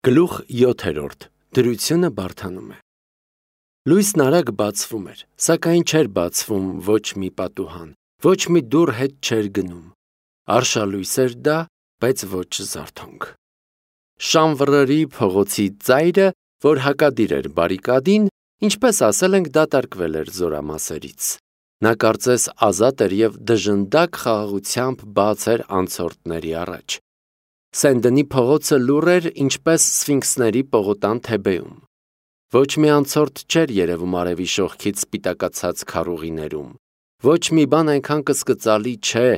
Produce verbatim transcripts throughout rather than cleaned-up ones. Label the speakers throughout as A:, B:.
A: Գլուխ յոթերորդ. Դրությունը բարդանում է։ Լույսն արագ բացվում էր, սակայն չէր բացվում ոչ մի պատուհան, ոչ մի դուռ հետ չէր գնում։ Արշալույս էր դա, բայց ոչ զարթոնք։ Շանվռի փողոցի ծայրը, որ հակադիր էր բարիկադին, ինչպես ասել ենք, դատարկվել էր զորամասերից։ Նա կարծես ազատ էր և դժնդակ խաղաղությամբ բաց էր անցորդների առաջ։ Սենդենի փողոցը լուռ էր, ինչպես սֆինքսների պողոտան Թեբեում։ Ոչ մի անցորդ չէր երևում արևի շողքից սպիտակացած քառուղիներում։ Ոչ մի բան այնքան կսկծալի չէ,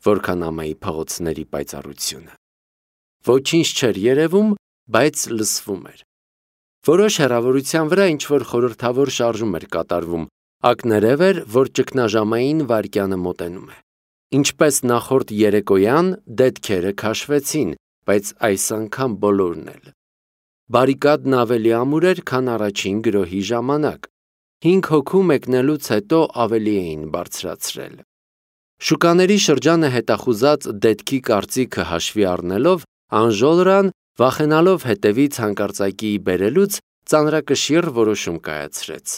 A: որքան ամայի փողոցների պայծառությունը։ Ոչինչ չէր երևում, բայց լսվում էր։ Որոշ հեռավորության վրա ինչ-որ խորհրդավոր շարժում էր կատարվում, ակներև էր, որ ճգնաժամային վայրկյանը մոտենում է։ Ինչպես նախորդ երեկոյան դետքերը քաշվեցին, բայց այս անգամ բոլորն էլ։ Բարիկադն ավելի ամուր էր, քան առաջին գրոհի ժամանակ։ Հինգ հոգու մեկնելուց հետո ավելի էին բարձրացրել։ Շուկաների շրջանը հետախուզած դետքի կարծիքը հաշվի առնելով, Անժոլրան, վախենալով հետևից հանկարծակիի բերելուց, ծանրակշիռ որոշում կայացրեց։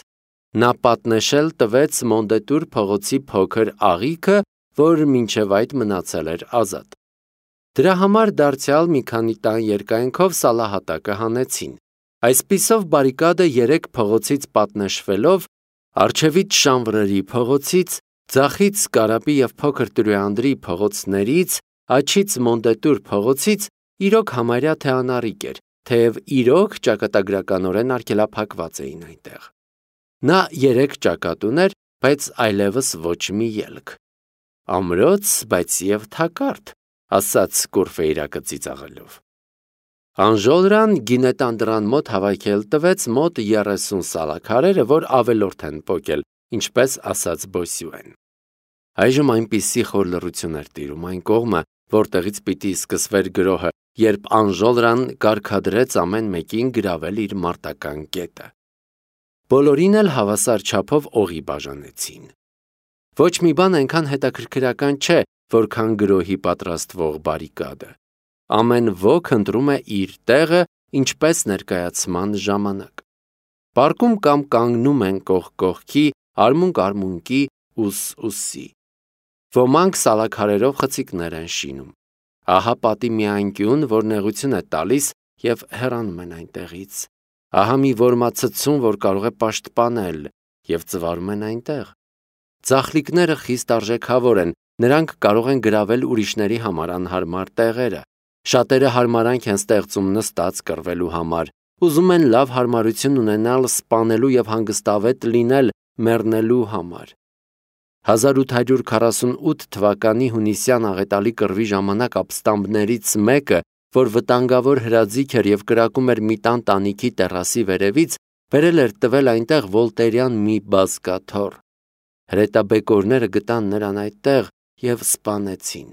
A: Նա պատնեշել տվեց Մոնդետուր փողոցի փոքր աղիքը, որ մինչև այդ մնացել էր ազատ։ Դրա համար դարձյալ մի քանի տան երկայնքով սալահատակը հանեցին։ Այսպիսով բարիկադը երեք փողոցից պատնեշվելով, առջևից Շանվռի փողոցից, ձախից Կարապի և Փոքր Տրոյանդրի փողոցներից, աջից Մոնդետուր փողոցից իրոք համարյա թե անառիկ էր, թեև իրոք ճակատագրականորեն արգելափակված էին այնտեղ։ Նա երեք ճակատ ուներ, բայց այլևս ոչ մի ելք։ Ամրոց, բայց և թակարդ, ասաց Կուրֆեյրակը ծիծաղելով։ Անժոլրան գինետան դռան մոտ հավաքել տվեց մոտ երեսուն սալաքարերը, որ ավելորդ են պոկել, ինչպես ասաց Բոսյուեն։ Այժմ այնպիսի խոր լռություն էր տիրում այն կողմը, որտեղից պիտի սկսվեր գրոհը, երբ Անժոլրան կարգադրեց ամեն մեկին գրավել իր մարտական կետը։ Բոլորին էլ հավասար չափով օղի բաժանեցին։ Ոչ մի բան այնքան հետաքրքրական չէ, որքան գրոհի պատրաստվող բարիկադը։ Ամեն ոք ընտրում է իր տեղը, ինչպես ներկայացման ժամանակ։ Պարկում կամ կանգնում են կողք կողքի, արմունկ արմունկի, ուս ուսի։ Ոմանք սալաքարերով խցիկներ են շինում։ Ահա պատի մի անկյուն, որ նեղություն է տալիս և հեռանում են այնտեղից։ Ահա մի որմացցուն, որ կարող է պաշտպանել, և ծվարում են այնտեղ։ Ձախլիկները խիստ արժեքավոր են, նրանք կարող են գրավել ուրիշների համար անհարմար տեղերը։ Շատերը հարմարանք են ստեղծում նստած կռվելու համար, ուզում են լավ հարմարություն ունենալ սպանելու և հանգստավետ լինել մեռնելու համար։ հազար ութ հարյուր քառասունութ թվականի հունիսյան աղետալի կռվի ժամանակ ապստամբներից մեկը, որ վտանգավոր հրաձիգ էր և կրակում էր մի տան տանիքի տեռասի վերևից, բերել էր տվել այնտեղ վոլտերյան մի բազկաթոռ։ Հրետաբեկորները գտան նրան այդտեղ և սպանեցին։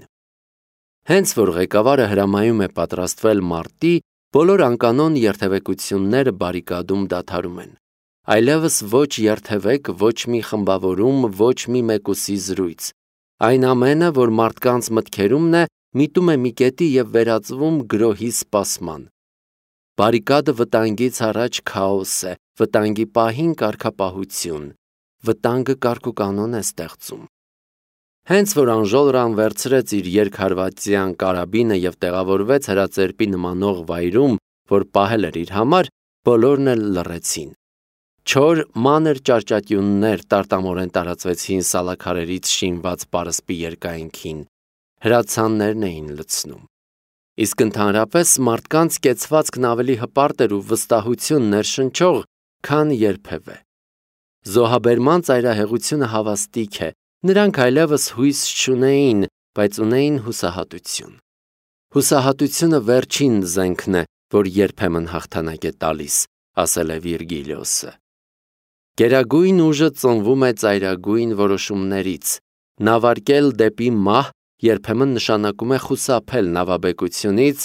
A: Հենց որ ղեկավարը հրամայում է պատրաստվել մարտի, բոլոր անկանոն երթևեկությունները բարիկադում դադարում են։ Այլևս ոչ երթևեք, ոչ մի խմբավորում, ոչ մի մեկուսի զրույց։ Այն ամենը, որ մարդկանց մտքերումն է, միտում է մի կետի և վերածվում գրոհի սպասման։ Բարիկադը վտանգից առաջ քաոս է, վտանգի պահին կարգապահություն, վտանգը կարգուկանոն է ստեղծում։ Հենց որ Անժոլրան վերցրեց իր երկհարվածյան կարաբինը և տեղավորվեց հրաձերպի նմանող վայրում, որ պահել էր իր համար, բոլորն էլ լռեցին։ Չոր, մանր ճարճատյուններ տարտամորեն տարածվեցին սալաքարերից շինված պարսպի երկայնքին, հրացաններն էին լցնում։ Իսկ ընդհանրապես մարդկանց կեցվածքն ավելի հպարտ էր ու վստահություն ներշնչող, քան երբևէ։ Զոհաբերման ծայրահեղությունը հավաստիք է, նրանք այլևս հույս չունեին, բայց ունեին հուսահատություն։ Հուսահատությունը վերջին զենքն է, որ երբեմն հաղթանակ է տալիս, ասել է Վիրգիլիոսը։ Գերագույն ուժը ծնվում է ծայրագույն որոշումներից։ Նավարկել դեպի մահ երբեմն նշանակում է խուսափել նավաբեկությունից,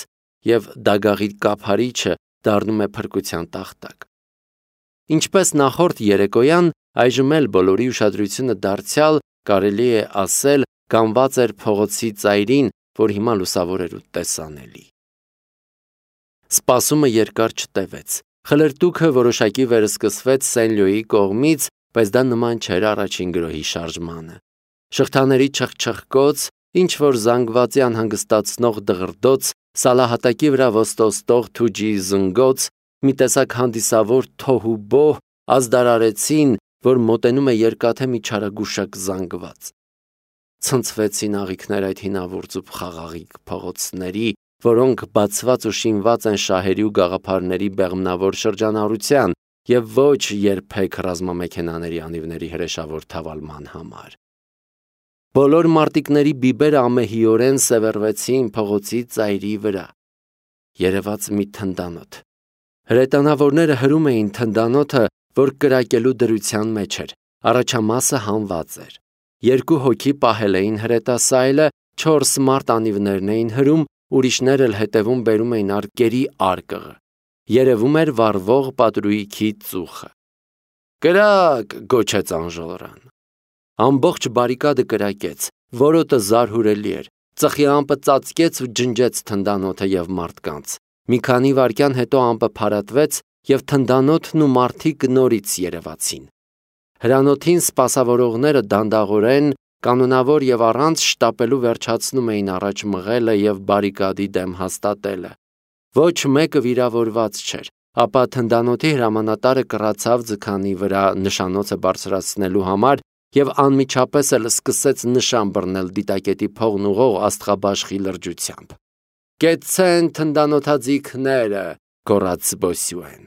A: և դագաղի կափարիչը դառնում է փրկության տախտակ։ Ինչպես նախորդ երեկոյան, այժմ էլ բոլորի ուշադրությունը դարձյալ, կարելի է ասել, կանգնված էր փողոցի ծայրին, որ հիմա լուսավոր էր ու տեսանելի։ Սպասումը երկար չտևեց։ Խլրտուքը որոշակի վերսկսվեց Սենլյոյի կողմից, բայց դա նման չէր առաջին գրոհի շարժմանը։ Շղթաների չխչխկոց, ինչ որ զանգվածի անհանգստացնող դղրդոց, սալահատակի վրա ոստոստող թուջի զնգոց, մի տեսակ հանդիսավոր թոհուբոհ ազդարարեցին, որ մոտենում է երկաթե մի չարագուշակ զանգված։ Ցնցվեցին աղիքներ այդ հինավուրց ու խաղաղիկ փողոցների, որոնք բացված ու շինված են շահերի ու գաղափարների բեղմնավոր շրջանառության և ոչ երբեք ռազմամեքենաների անիվների հրեշավոր թավալման համար։ Բոլոր մարտիկների բիբերը ամեհիորեն սևեռվեցին փողոցի ծայրի վրա։ Երևաց մի թնդանոթ։ Հրետանավորները հրում էին թնդանոթը, որ կրակելու դրության մեջ էր, առաջամասը հանված էր։ Երկու հոգի պահել էին հրետասայլը, չորս մարդ անիվներն էին հրում, ուրիշներ էլ հետևում բերում էին արկերի արկղը։ Երևում էր վառվող պատրույքի ծուխը։ «Կրակ!» գոչեց Անժոլրան։ Ամբողջ բարիկադը կրակեց, որոտը զարհուրելի էր, ծխի ամպը ծածկեց ու ջնջեց թնդանոթը և մարդկանց։ Մի քանի վայրկյան հետո ամպը փարատվեց և թնդանոթն ու մարդիկ նորից երևացին։ Հրանոթին սպասավորողները դանդաղորեն, կանոնավոր և առանց շտապելու վերջացնում էին առաջ մղելը և բարիկադի դեմ հաստատելը։ Ոչ մեկը վիրավորված չէր, ապա թնդանոթի հրամանատարը կռացավ ձգանի վրա նշանոցը բարձրացնելու համար և անմիջապես էլ սկսեց նշան բռնել դիտակետի փողն ուղղող աստղաբաշխի լրջությամբ։ «Կեցցեն թնդանոթաձիգները», գոռաց Բոսյուեն,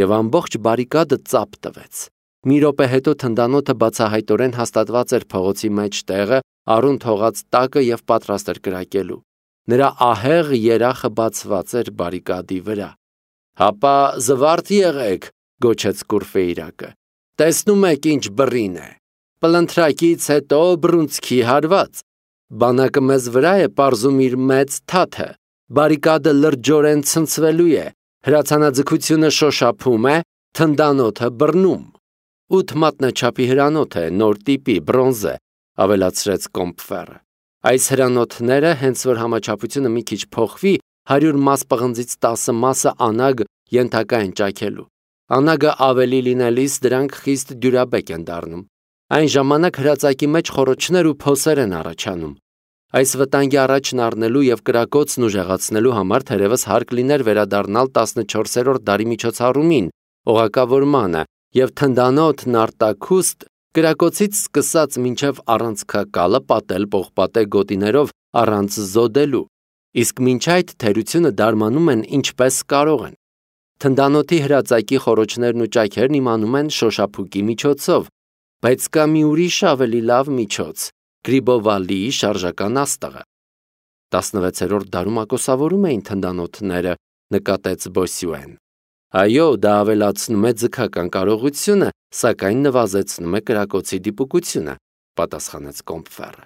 A: և ամբողջ բարիկադը ծափ տվեց։ Մի րոպե հետո թնդանոթը բացահայտորեն հաստատված էր փողոցի մեջտեղը, առուն թողած տակը և պատրաստ էր կրակելու։ Նրա ահեղ երախը բացված էր բարիկադի վրա։ «Հապա զվարթ եղեք», գոչեց Կուրֆեյրակը։ «Տեսնում եք ինչ բռին է։ Պլընթրակից հետո բռունցքի հարված։ Բանակը մեզ վրա է պարզում իր մեծ թաթը։ Բարիկադը լրջորեն ցնցվելու է, հրացանաձգությունը շոշափում է, թնդանոթը բռնում։ Ութ մատնաչափի հրանոթ է, նոր տիպի, բրոնզե», ավելացրեց Կոմպֆերը։ «Այս հրանոթները, հենց որ համաչափությունը մի քիչ փոխվի, հարյուր մաս պղնձից տասը մասը անագ ենթակա են ճաքելու։ Անագը ավելի լինելիս դրանք խիստ դյուրաբեկ են դառնում։ Այն ժամանակ հրածակի մեջ խոռոչներ ու փոսեր են առաջանում։ Այս վտանգի առաջն առնելու և կրակոցն ուժեղացնելու համար թերևս հարկ լիներ վերադառնալ տասնչորսերորդ դարի միջոցառումին, օղակավորմանը և թնդանոթն արտաքուստ կրակոցից սկսած մինչև առանցքակալը պատել պողպատե գոտիներով առանց զոդելու, իսկ մինչ այդ թերությունը դարմանում են ինչպես կարող են։ Թնդանոթի հրածակի խոռոչներն ու ճաքերն իմանում են շոշափուկի միջոցով, բայց կա մի ուրիշ ավելի լավ միջոց՝ Գրիբովալիի շարժական աստղը։ տասնվեցերորդ դարում ակոսավորում էին թնդանոթները, նկատեց Բոսյուեն։ Այո, դա ավելացնում է ձգական կարողությունը, սակայն նվազեցնում է կրակոցի դիպուկությունը, պատասխանեց Կոմպֆերը։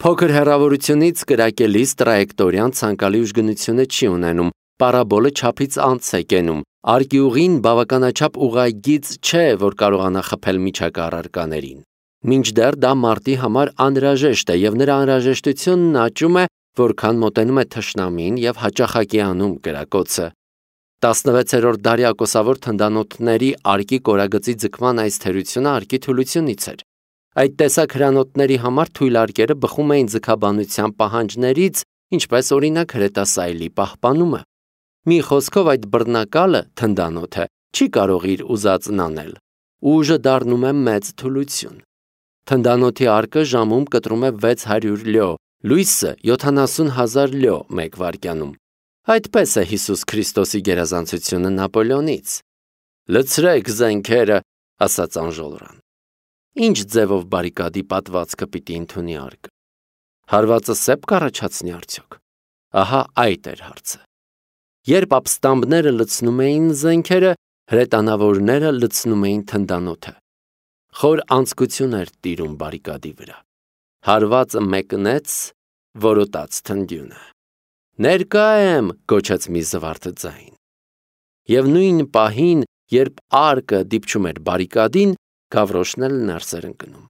A: Փոքր հեռավորությունից կրակելիս տրայեկտորիան ցանկալի ուժգնությունը չի ունենում, պարաբոլը չափից անց է կենում, արկիուղին բավականաչափ ուղղագիծ չէ, որ կարողանա խփել միջակա առարկաներին։ Մինչդեռ դա մարտի համար անհրաժեշտ է և նրա անհրաժեշտությունն աճում է, որքան մոտենում է թշնամին և հաճախակի անում կրակոցը։ տասնվեցերորդ դարի ակոսավոր թնդանոթների արկի կորագծի ձգման այս թերությունը արկի թուլությունից էր։ Այդ տեսակ հրանոթների համար թույլ արկերը բխում էին ձգաբանության պահանջներից, ինչպես օրինակ հրետասայլի պահպանումը։ Մի խոսքով այդ բռնակալը, թնդանոթը, չի կարող իր ուզածն անել։ Ուժը դառնում է մեծ թուլություն։ Թնդանոթի արկը ժամում կտրում է վեց հարյուր լյո, լույսը յոթանասուն հազար լյո մեկ վայրկյանում։ Այդպես է Հիսուս Քրիստոսի գերազանցությունը Նապոլեոնից։ Լցրեք զենքերը, ասաց Անժոլրան։ Ինչ ձևով բարիկադի պատվածքը պիտի ընդունի արկը։ Հարվածը սեպ կառաջացնի արդյոք։ Ահա այդ էր հարցը։ Երբ ապստամբները լցնում էին զենքերը, հրետանավորները լցնում էին թնդանոթը։ Խոր անձկություն էր տիրում բարիկադի վրա։ Հարվածը մեկնեց, որոտաց թնդյունը։ «Ներկա եմ», գոչեց մի զվարթ ձայն։ Եվ նույն պահին, երբ արկը դիպչում էր բարիկադին, Գավրոշն էլ ներս էր ընկնում։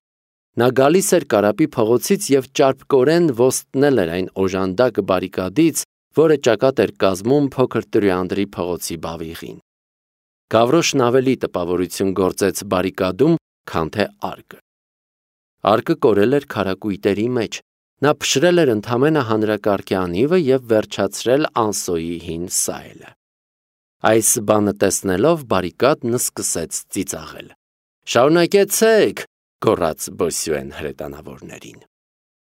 A: Նա գալիս էր Կարապի փողոցից և ճարպկորեն ոստնել էր այն օժանդակ բարիկադից, որը ճակատ էր կազմում փոքր Տրիանդրի փողոցի բավիղին։ Գավրոշն ավելի տպավորություն գործեց բարիկադում, քան թե արկը։ Արկը կորել էր քարակույտերի մեջ, նա փշրել էր ընդամենը հանրակարգի անիվը և վերջացրել Անսոյի հին սայլը։ Այս բանը տեսնելով բարիկադն սկսեց ծիծաղել։ «Շարունակեցեք», գոռաց Բոսյուեն հրետանավորներին։